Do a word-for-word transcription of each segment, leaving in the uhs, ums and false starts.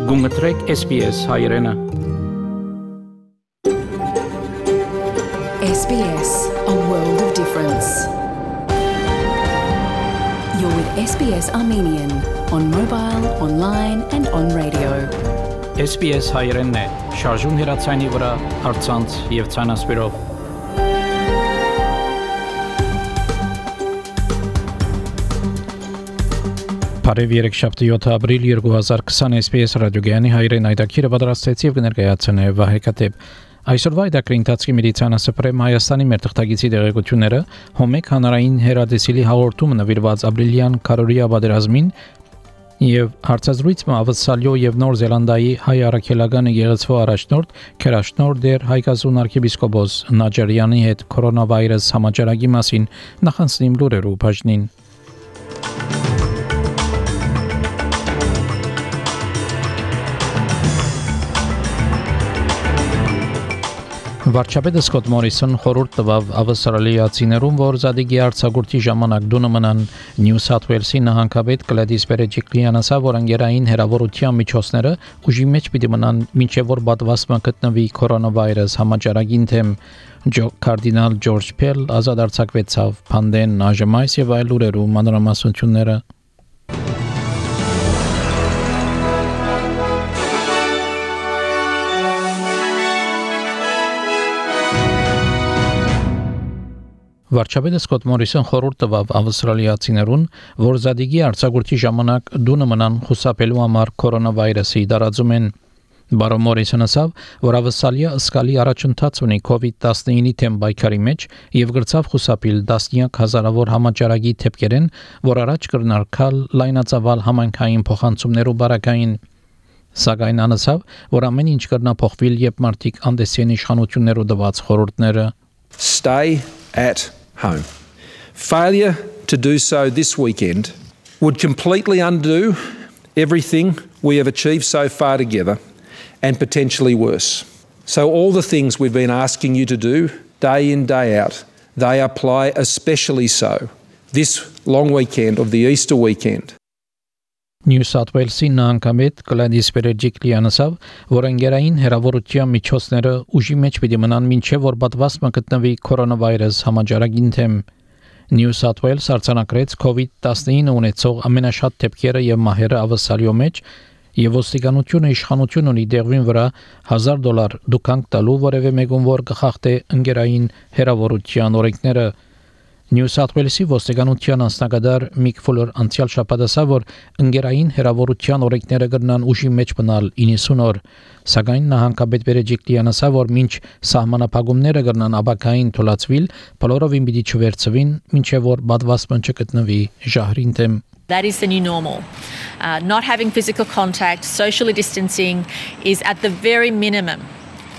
Գումտրեք S B S հայրենը S B S, a world of difference. You're with S B S Armenian on mobile, online and on radio. S B S հայրենն է, շարժուն հեռացանի վրա, առցանց եւ ցանասպիրով։ Բարև երեքշաբթի յոթ ապրիլ երկու հազար քսան S B S ռադիոգյանի հայրեն այդակիրը պատրաստեց եւ կներկայացնե Վահե Կատեփ։ Այսօրվա այդակրի ընթացքի մեդիցինասպրեմ Հայաստանի մեր թղթագիտի դեղեցությունները հոմեկ հանրային հերադեսիլի հաղորդումը նվիրված ապրիլյան քարորիա պատերազմին եւ հարցազրույցը ավսալյո եւ Նոր Զելանդիայի հայ առաքելական եկեղեցու առաջնորդ Քերաշնոր դեր Հայկազուն arczepiskopos Նաջարյանի հետ կորոնավիրուս համաճարակի մասին նախանցնիմ լուրերու բաժնին։ Վարչապետը Սկոտ Մորիսոն խորհուրդ տվավ ավստրալիացիներուն, որ Զադիգի արձակուրդի ժամանակ դունը մնան Նյու Սաթ Ուելսի նահանգապետ Գլադիս Բերեջիկլիան ասավ, որ անգերային հերավորության միջոցները ուժի մեջ պիտի մնան մինչև որ պատվաստումը գտնվի կորոնավիրուս համաճարակին թեմ։ Կարդինալ Ջորջ Փել ազատ արձակվեցավ Փանդեն Նաժմայս եւ այլ լուրերու մանրամասնությունները։ Վարչապետը Սկոտ Մորիսոն խորհուրդ տվավ ավստրալիացիներուն, որ Զադիգի արձակուրդի ժամանակ դունը մնան խուսափելու համար կորոնավիրուսի տարածումեն։ Բարոն Մորիսոնը ասավ, որ ավստրալիա ըսկալի առաջընթաց ունի կովիդ տասնինի թեմ պայքարի մեջ եւ գրծավ խուսափիլ տասնյակ հազարավոր համաճարակի թեփքերեն, որ առաջ կրնարկալ լայնածավալ համայնքային փոխանցումներու բարակային։ Սակայն անասավ, որ ամեն ինչ կրնափոխվիլ, երբ մարդիկ անդեսեն իշխանություններու տված խորհուրդները։ Stay at home. Failure to do so this weekend would completely undo everything we have achieved so far together and potentially worse. So all the things we've been asking you to do day in, day out, they apply especially so this long weekend of the Easter weekend. Նյու Սաթ Ուելսի նահանգապետ Գլադիս Բերեջիկլիան ասավ, որ անգերային հերավորության միջոցները ուժի մեջ պիտի մնան մինչև որ պատվաստումը գտնվի կորոնավիրուս համաճարակին թեմ։ Նյու Սաթ Ուելս արձանագրեց կովիդ տասնինը ունեցող ամենաշատ դեպքերը եւ մահերը ավստրալիո մեջ եւ ոստիկանությունը իշխանություն ունի դեղին վրա հազար դոլար դուքանք տալու որևէ մեկուն որ կխախտե անգերային հերավորության օրենքները։ Նյու Սաթ Ուելսի ոստիկանության անձնակատար Միք Ֆուլեր անցյալ շաբաթ ասավ, որ անգերային հերավորության օրենքները կգնան ուժի մեջ մնալ իննսուն օր, սակայն նահանգապետ Բերեջիկլիան ասավ, որ մինչ սահմանափակումները կգնան աբակային թույլատրվել, բոլորովին պիտի չվերցվին, մինչև որ պատվաստումը չգտնվի ժահրին թեմ։ That is the new normal. Uh, not having physical contact, socially distancing is at the very minimum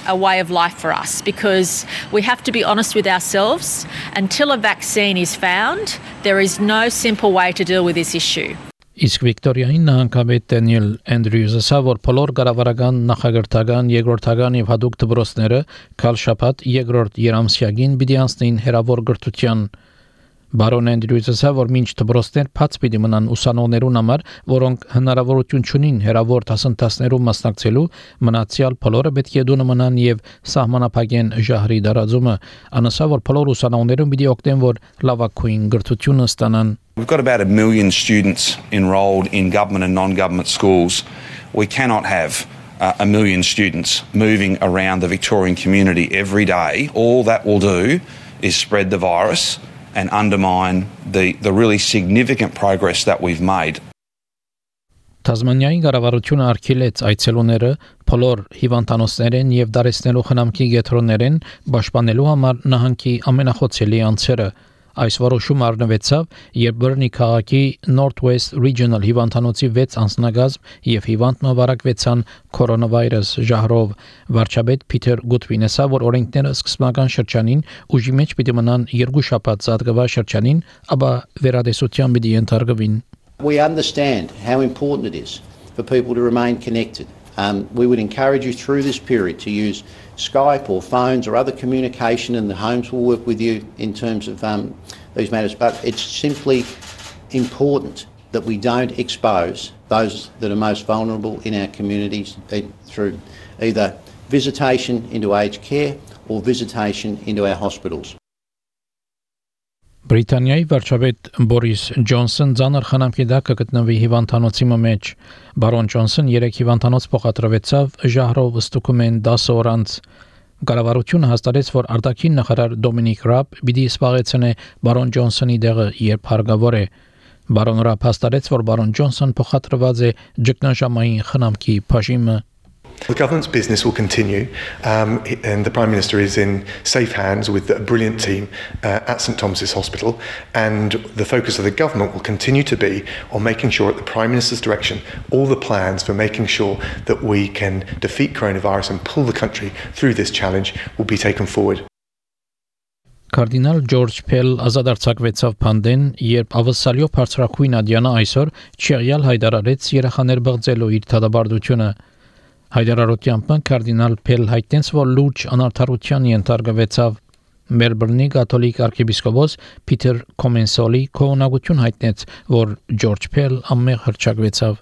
a way of life for us because we have to be honest with ourselves. Until a vaccine is found, there is no simple way to deal with this issue. Իսկ Վիկտորիայի նահանգապետ Դենիել Էնդրյուզը ասավ, որ բոլոր կառավարական, նախագահական, երկրորդական եւ հատուկ դպրոցները քալ շաբաթ երկրորդ երամսյակին պիտի անցնեն հերավոր գրթության։ Բարոն Էնդրյուզը ասավ, որ մինչ դպրոցներ բաց պիտի մնան ուսանողներուն համար, որոնք հնարավորություն չունին հերավոր դասընթացներում մասնակցելու, մնացյալ բոլորը պետք է դունը մնան եւ սահմանափակեն ժահրի դարածումը։ Անասավ, որ բոլոր ուսանողներուն պիտի օգտեն, որ լավագույն գրթությունը ստանան։ We've got about a million students enrolled in government and non-government schools. We cannot have uh, a million students moving around the Victorian community every day. All that will do is spread the virus and undermine the, the really significant progress that we've made. Թազմանիայի կառավարությունը արգելեց այցելուները բոլոր հիվանդանոցներեն եւ դարեցնելու խնամքի գետրոններեն պաշտպանելու համար նահանգի ամենախոցելի անձերը։ Այս որոշումը առնվեցավ, երբ Բեռնի քաղաքի North West Regional հիվանդանոցի վեց անձնագազմ եւ հիվանդ մվարակվեցան կորոնավիրուս ժահրով։ Վարչապետ Փիթեր Գուտվինը ասավ, որ օրենքները սկզբնական շրջանին ուժի մեջ պիտի մնան երկու շաբաթ զատկվա շրջանին, ապա վերադեսության պիտի ենթարկվին։ We understand how important it is for people to remain connected. Um, we would encourage you through this period to use Skype or phones or other communication, and the homes will work with you in terms of um, these matters. But it's simply important that we don't expose those that are most vulnerable in our communities through either visitation into aged care or visitation into our hospitals. Բրիտանիայի վարչապետ Բորիս Ջոնսոն ցաներ խնամքի դակ կգտնվի հիվանդանոցի մեջ։ Բարոն Ջոնսոն երեք հիվանդանոց փոխադրվեցավ ժահրով ստուգում են դասը օրանց։ Կառավարությունը հաստատեց, որ արտաքին նախարար Դոմինիկ Ռաբ պիտի սպառեցնե բարոն Ջոնսոնի դեղը, երբ հարկավոր է։ Բարոն Ռաբ հաստատեց, որ բարոն Ջոնսոն փոխադրված է ճգնաժամային խնամքի բաժինը։ The government's business will continue, um, and the Prime Minister is in safe hands with a brilliant team uh, at St Thomas's Hospital, and the focus of the government will continue to be on making sure at the Prime Minister's direction all the plans for making sure that we can defeat coronavirus and pull the country through this challenge will be taken forward. Կարդինալ Ջորջ Փել ազատարձակվեցավ Փանդեն, երբ ավսալյո բարձրակույն ադյանը այսօր չեղյալ հայտարարեց երեխաներ բղձելու իր դատաբարդությունը։ Հայտարարությամբ կարդինալ Փել հայտնեց, որ լուրջ անարդարության ենթարկվեցավ։ Մելբուրնի կաթոլիկ arczepiskopos Peter Comensoli քողնակություն հայտնեց, որ Ջորջ Փել ամեղ հրճակվեցավ։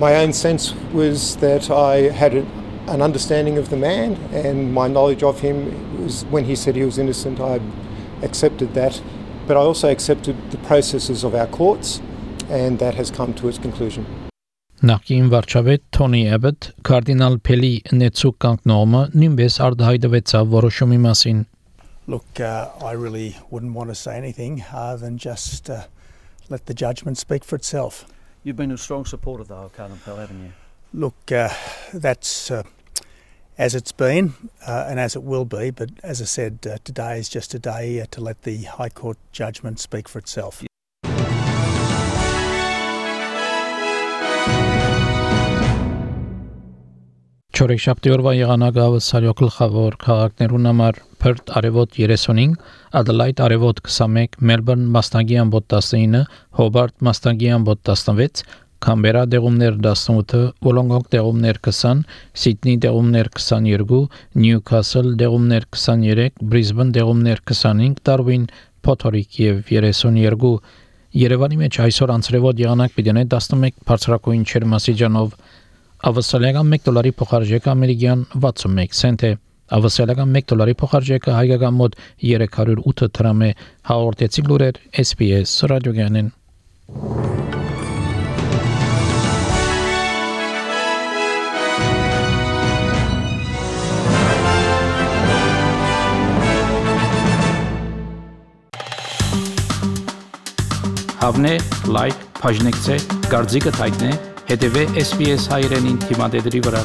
My own sense was that I had a, an understanding of the man, and my knowledge of him was when he said he was innocent, I accepted that, but I also accepted the processes of our courts, and that has come to its conclusion. Նախկին վարչապետ Թոնի Էբետ կարդինալ Փելի նեցուկ կանգնումը նույնպես արտահայտվեցավ որոշումի մասին։ Look, uh, I really wouldn't want to say anything other than just uh, let the judgment speak for itself. You've been a strong supporter, though, of Cardinal Pell, haven't you? Look, uh, that's uh, as it's been uh, and as it will be, but as I said, uh, today is just a day uh, to let the High Court judgment speak for itself. Չորեքշաբթի օրվա եղանակը ավսալյո գլխավոր քաղաքներուն համար Perth արևոտ երեսունինք, Adelaide արևոտ քսանմեկ, Melbourne մասնագի ամբոտ տասնինը, Hobart մասնագի ամբոտ տասնվեց, Canberra դեղումներ տասնութ, Wollongong դեղումներ քսան, Sydney դեղումներ քսաներկու, Newcastle դեղումներ քսաներեք, Brisbane դեղումներ քսանհինգ, Darwin, Փոթորիկ եւ երեսունյոթ։ Երևանի մեջ այսօր անցրևոտ եղանակ պիտի տասնմեկ բարձրակույն ջերմաստիճանով Ավստրալիական մեկ դոլարի փոխարժեքը ամերիկյան վաթսունմեկ سنت է։ Ավստրալիական մեկ դոլարի փոխարժեքը հայկական մոտ երեք հարյուր ութ դրամ է։ Հաղորդեցի լուրեր S B S ռադիոգյանեն։ Հավնե, լայք, բաժնեկցե, դարձիկը թայտնե, հետևե S B S հայրենին թիմադեդրի վրա։